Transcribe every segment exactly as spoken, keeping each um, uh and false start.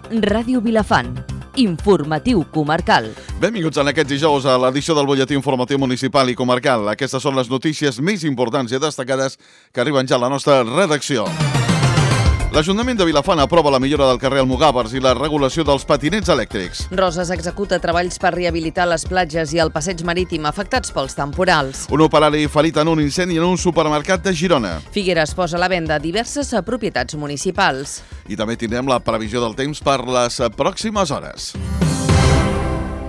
Ràdio Vilafant, informatiu comarcal. Benvinguts en aquest dijous a l'edició del Butlletí Informatiu Municipal i Comarcal. Aquestes són les notícies més importants i destacades que arriben ja a la nostra redacció. L'Ajuntament de Vilafant aprova la millora del carrer Almogàvers i la regulació dels patinets elèctrics. Roses executa treballs per rehabilitar les platges i el passeig marítim afectats pels temporals. Un operari ferit en un incendi en un supermercat de Girona. Figueres posa a la venda diverses propietats municipals. I també tindrem la previsió del temps per les pròximes hores.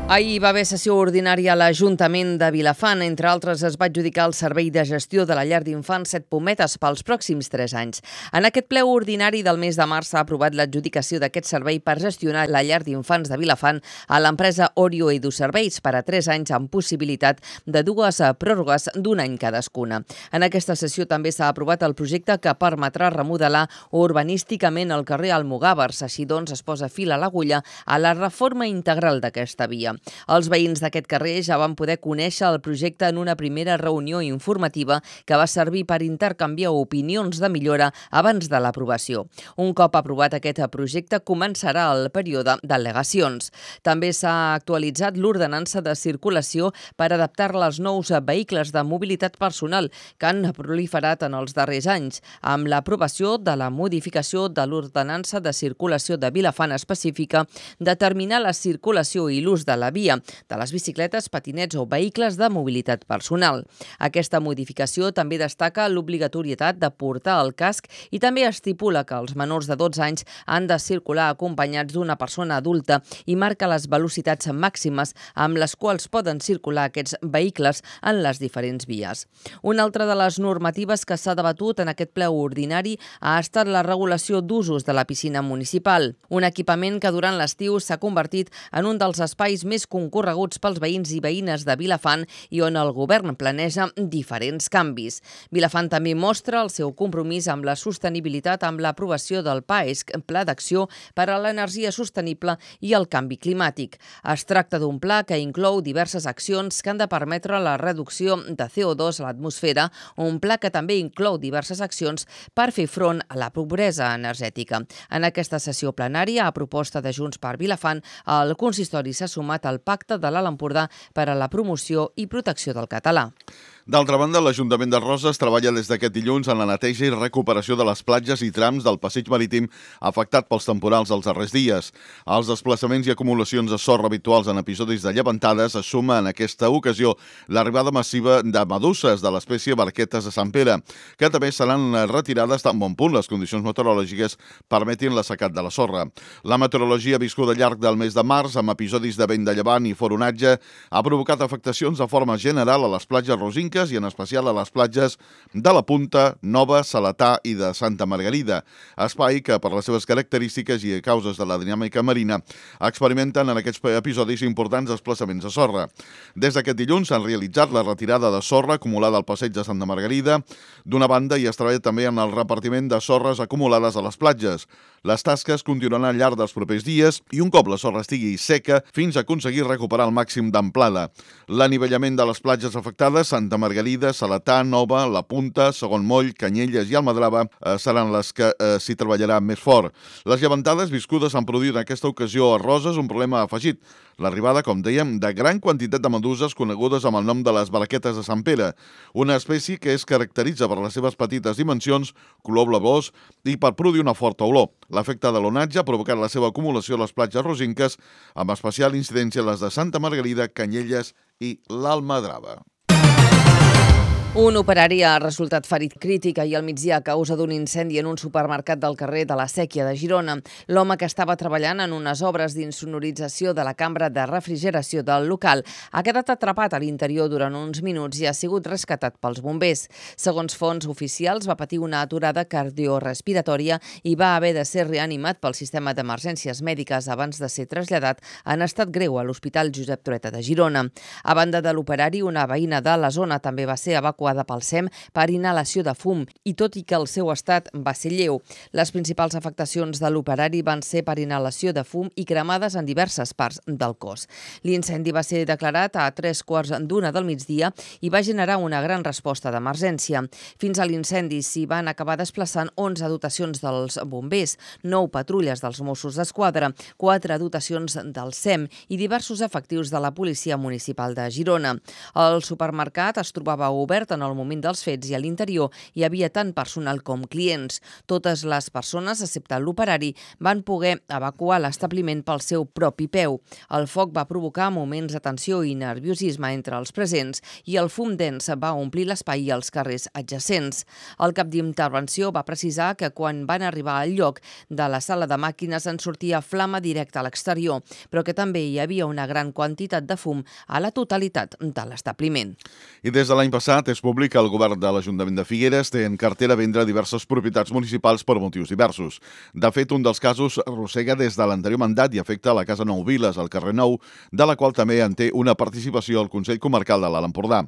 Ahir va haver sessió ordinària a l'Ajuntament de Vilafant. Entre altres, es va adjudicar el servei de gestió de la llar d'infants Set Pometes pels pròxims tres anys. En aquest ple ordinari del mes de març s'ha aprovat l'adjudicació d'aquest servei per gestionar la llar d'infants de Vilafant a l'empresa Orio Eduserveis per a tres anys amb possibilitat de dues pròrrogues d'un any cadascuna. En aquesta sessió també s'ha aprovat el projecte que permetrà remodelar urbanísticament el carrer Almogàvers. Així doncs, es posa fil a l'agulla a la reforma integral d'aquesta via. Els veïns d'aquest carrer ja van poder conèixer el projecte en una primera reunió informativa que va servir per intercanviar opinions de millora abans de l'aprovació. Un cop aprovat aquest projecte, començarà el període d'al·legacions. També s'ha actualitzat l'ordenança de circulació per adaptar-la als nous vehicles de mobilitat personal que han proliferat en els darrers anys, amb l'aprovació de la modificació de l'ordenança de circulació de Vilafant específica, determinar la circulació i l'ús de la via de les bicicletes, patinets o vehicles de mobilitat personal. Aquesta modificació també destaca l'obligatorietat de portar el casc i també estipula que els menors de dotze anys han de circular acompanyats d'una persona adulta i marca les velocitats màximes amb les quals poden circular aquests vehicles en les diferents vies. Una altra de les normatives que s'ha debatut en aquest ple ordinari ha estat la regulació d'usos de la piscina municipal, un equipament que durant l'estiu s'ha convertit en un dels espais més concorreguts pels veïns i veïnes de Vilafant i on el govern planeja diferents canvis. Vilafant també mostra el seu compromís amb la sostenibilitat amb l'aprovació del PAESC, Pla d'Acció per a l'Energia Sostenible i el Canvi Climàtic. Es tracta d'un pla que inclou diverses accions que han de permetre la reducció de C O dos a l'atmosfera, un pla que també inclou diverses accions per fer front a la pobresa energètica. En aquesta sessió plenària, a proposta de Junts per Vilafant, el consistori s'ha sumat al Pacte de l'Alt Empordà per a la promoció i protecció del català. D'altra banda, l'Ajuntament de Roses treballa des d'aquest dilluns en la neteja i recuperació de les platges i trams del passeig marítim afectat pels temporals dels darrers dies. Els desplaçaments i acumulacions de sorra habituals en episodis de llevantades es suma en aquesta ocasió l'arribada massiva de meduses de l'espècie barquetes de Sant Pere, que també seran retirades tan bon punt les condicions meteorològiques permetin l'assecat de la sorra. La meteorologia viscuda al llarg del mes de març, amb episodis de vent de llevant i foronatge, ha provocat afectacions de forma general a les platges rosinques i en especial a les platges de la Punta, Nova, Salatà i de Santa Margarida, espai que per les seves característiques i a causes de la dinàmica marina experimenten en aquests episodis importants desplaçaments de sorra. Des d'aquest dilluns s'han realitzat la retirada de sorra acumulada al passeig de Santa Margarida d'una banda i es treballa també en el repartiment de sorres acumulades a les platges. Les tasques continuaran al llarg dels propers dies i un cop la sorra estigui seca fins a aconseguir recuperar el màxim d'amplada. L'anivellament de les platges afectades, Santa Margarida, Salatà, Nova, La Punta, Segon Moll, Canyelles i Almadrava eh, seran les que eh, s'hi treballarà més fort. Les llevantades viscudes han produït en aquesta ocasió a Roses un problema afegit. L'arribada, com dèiem, de gran quantitat de meduses conegudes amb el nom de les barquetes de Sant Pere, una espècie que es caracteritza per les seves petites dimensions, color blavós i per produir una forta olor. L'efecte de l'onatge ha provocat la seva acumulació a les platges rosinques, amb especial incidència a les de Santa Margarida, Canyelles i l'Almadrava. Un operari ha resultat ferit crític ahir al migdia a causa d'un incendi en un supermercat del carrer de la Sèquia de Girona. L'home que estava treballant en unes obres d'insonorització de la cambra de refrigeració del local ha quedat atrapat a l'interior durant uns minuts i ha sigut rescatat pels bombers. Segons fonts oficials, va patir una aturada cardiorespiratòria i va haver de ser reanimat pel sistema d'emergències mèdiques abans de ser traslladat en estat greu a l'Hospital Josep Trueta de Girona. A banda de l'operari, una veïna de la zona també va ser evacuada evacuada pel S E M per inhalació de fum i tot i que el seu estat va ser lleu. Les principals afectacions de l'operari van ser per inhalació de fum i cremades en diverses parts del cos. L'incendi va ser declarat a tres quarts d'una del migdia i va generar una gran resposta d'emergència. Fins a l'incendi s'hi van acabar desplaçant onze dotacions dels bombers, nou patrulles dels Mossos d'Esquadra, quatre dotacions del S E M i diversos efectius de la Policia Municipal de Girona. El supermercat es trobava obert en el moment dels fets i a l'interior hi havia tant personal com clients. Totes les persones, excepte l'operari, van poder evacuar l'establiment pel seu propi peu. El foc va provocar moments de tensió i nerviosisme entre els presents i el fum dens va omplir l'espai i els carrers adjacents. El cap d'intervenció va precisar que quan van arribar al lloc de la sala de màquines en sortia flama directa a l'exterior, però que també hi havia una gran quantitat de fum a la totalitat de l'establiment. I des de l'any passat és públic que el govern de l'Ajuntament de Figueres té en cartera vendre diverses propietats municipals per motius diversos. De fet, un dels casos arrossega des de l'anterior mandat i afecta la Casa Nou Viles, al carrer Nou, de la qual també en té una participació al Consell Comarcal de l'Alt Empordà.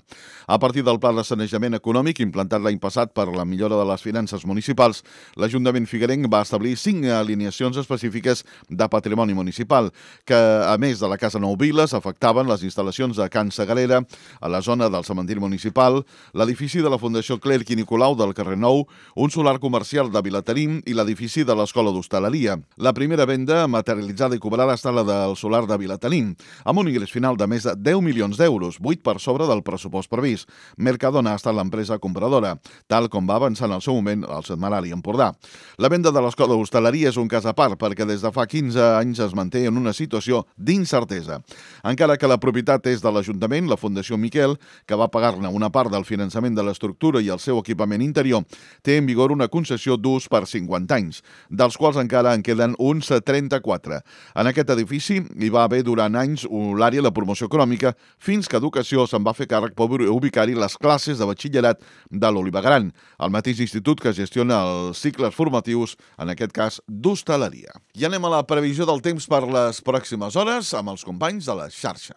A partir del pla de sanejament econòmic implantat l'any passat per la millora de les finances municipals, l'Ajuntament figuerenc va establir cinc alineacions específiques de patrimoni municipal, que, a més de la Casa Nou Viles, afectaven les instal·lacions de Can Segarera, a la zona del cementiri municipal, l'edifici de la Fundació Clerc i Nicolau del carrer Nou, un solar comercial de Vilaterim i l'edifici de l'Escola d'Hostaleria. La primera venda materialitzada i cobrada està la del solar de Vilaterim, amb un ingrés final de més de deu milions d'euros, vuit per sobre del pressupost previst. Mercadona ha estat l'empresa compradora, tal com va avançar en el seu moment el setmanari Empordà. La venda de l'Escola d'Hostaleria és un cas a part, perquè des de fa quinze anys es manté en una situació d'incertesa. Encara que la propietat és de l'Ajuntament, la Fundació Miquel, que va pagar-ne una part del finançament de l'estructura i el seu equipament interior, té en vigor una concessió d'ús per cinquanta anys, dels quals encara en queden uns trenta-quatre. En aquest edifici hi va haver durant anys l'àrea de promoció econòmica, fins que Educació se'n va fer càrrec per ubicar-hi les classes de batxillerat de l'Oliva Gran, el mateix institut que gestiona els cicles formatius, en aquest cas d'hostaleria. I anem a la previsió del temps per les pròximes hores amb els companys de la xarxa.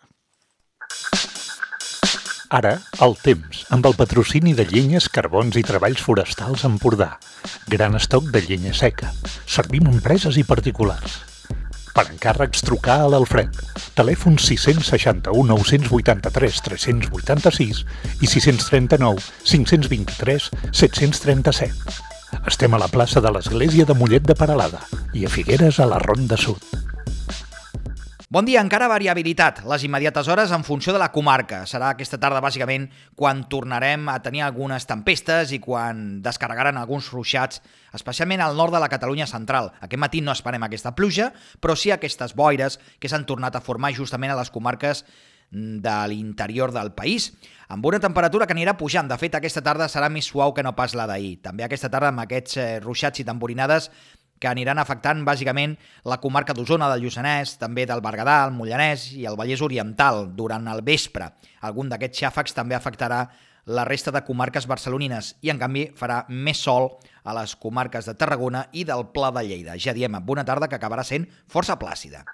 Ara, el temps, amb el patrocini de llenyes, carbons i treballs forestals Empordà. Gran estoc de llenya seca. Servim a empreses i particulars. Per encàrrecs, trucar a l'Alfred. Telèfon sis seixanta u nou vuitanta tres tres vuitanta sis i sis trenta nou cinc vint tres set trenta set. Estem a la plaça de l'Església de Mollet de Peralada i a Figueres a la Ronda Sud. Bon dia, encara variabilitat. Les immediates hores en funció de la comarca. Serà aquesta tarda, bàsicament, quan tornarem a tenir algunes tempestes i quan descarregaran alguns ruixats, especialment al nord de la Catalunya central. Aquest matí no esperem aquesta pluja, però sí aquestes boires que s'han tornat a formar justament a les comarques de l'interior del país, amb una temperatura que anirà pujant. De fet, aquesta tarda serà més suau que no pas la d'ahir. També aquesta tarda, amb aquests ruixats i tamborinades que aniran afectant bàsicament la comarca d'Osona, del Lluçanès, també del Berguedà, el Mollanès i el Vallès Oriental durant el vespre. Algun d'aquests xàfecs també afectarà la resta de comarques barcelonines i, en canvi, farà més sol a les comarques de Tarragona i del Pla de Lleida. Ja diem, amb una tarda que acabarà sent força plàcida.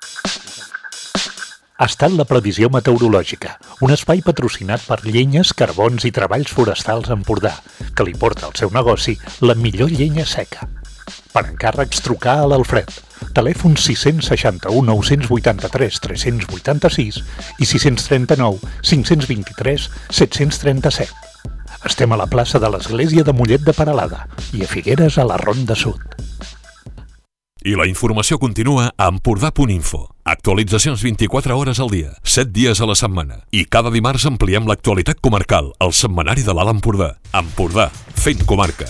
Ha estat la previsió meteorològica, un espai patrocinat per Llenyes, Carbons i Treballs Forestals Empordà, que li porta al seu negoci la millor llenya seca. Per encàrrecs, trucar a l'Alfred. Telèfon sis seixanta u nou vuitanta tres tres vuitanta sis i sis trenta nou cinc vint tres set trenta set. Estem a la plaça de l'Església de Mollet de Peralada i a Figueres a la Ronda Sud. I la informació continua a empordà punt info. Actualitzacions vint-i-quatre hores al dia, set dies a la setmana. I cada dimarts ampliem l'actualitat comarcal, al setmanari de l'Alt Empordà. Empordà, fent comarca.